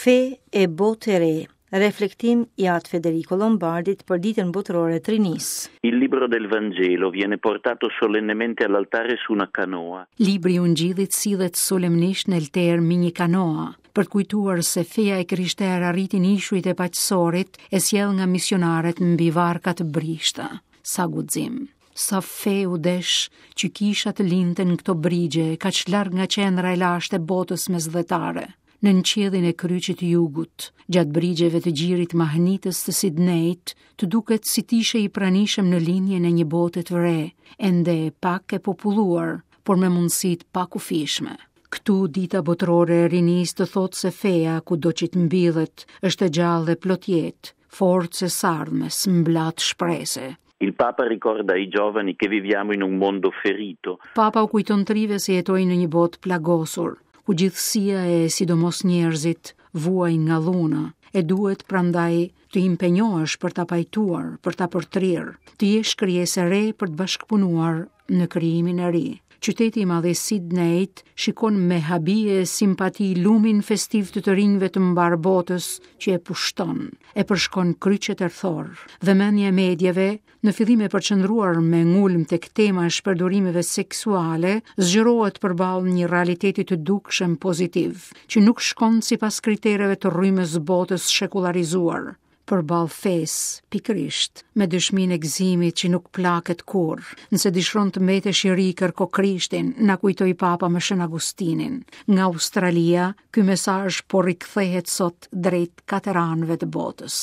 Fe e botë e re, reflektim i At Federico Lombardit për Ditën Botërore të Rinisë. Il libro del Vangelo viene portato solennemente all'altare su una canoa. Libri i Ungjillit sillet solemnisht në altar mbi një kanoa, për të kujtuar se feja e krishterë arriti në ishujt e Paqësorit e sjellë nga misionarët mbi varka të brishta. Sa guxim, sa fe u desh që kisha të lindte në këto brigje, kaq larg nga qendra e lashtë e botës mesdhetare, nën qiellin e kryqit të jugut, gjatë brigjeve të gjirit mahnitës të Sidnejt, të duket si të ishe i pranishëm në lindjen e një bote të re, ende pak e populluar, por me mundësi të pakufishme. Këtu dita botërore e rinisë të thotë se feja, kudo që të mbillet, është e gjallë dhe plot jetë, forcë e s'ardhmes, mblatë shprese. Il Papa ricorda ai giovani che viviamo in un mondo ferito. Papa u kujton të rinjve se jetojnë në një botë të plagosur, ku gjithësia e sidomos njerëzit vuajnë nga dhuna, e duhet prandaj të impenjohesh për ta pajtuar, për ta përtrirë, të jesh krijesë e re për të bashkëpunuar në krijimin e ri. Qyteti i madh i Sidnejt shikon me habi e simpati lumin festiv të të rinjve të mbarë botës që e pushton, e përshkon kryqet rrethorë. Vëmendja e mediave, në fillim e përqendruar me ngulm tek tema e shpërdorimeve seksuale, zgjerohet përballë një realiteti të dukshëm pozitiv, që nuk shkon sipas kritereve të rrymës botës shekullarizuar. Përballë fesë, pikërisht, me dëshminë e gëzimit që nuk plaket kurrë. Nëse dëshiron të mbetesh i ri, kërko Krishtin, na kujtoi Papa me Shën Agustinin. Nga Australia, ky mesazh po rikthehet sot drejt katër anëve të botës.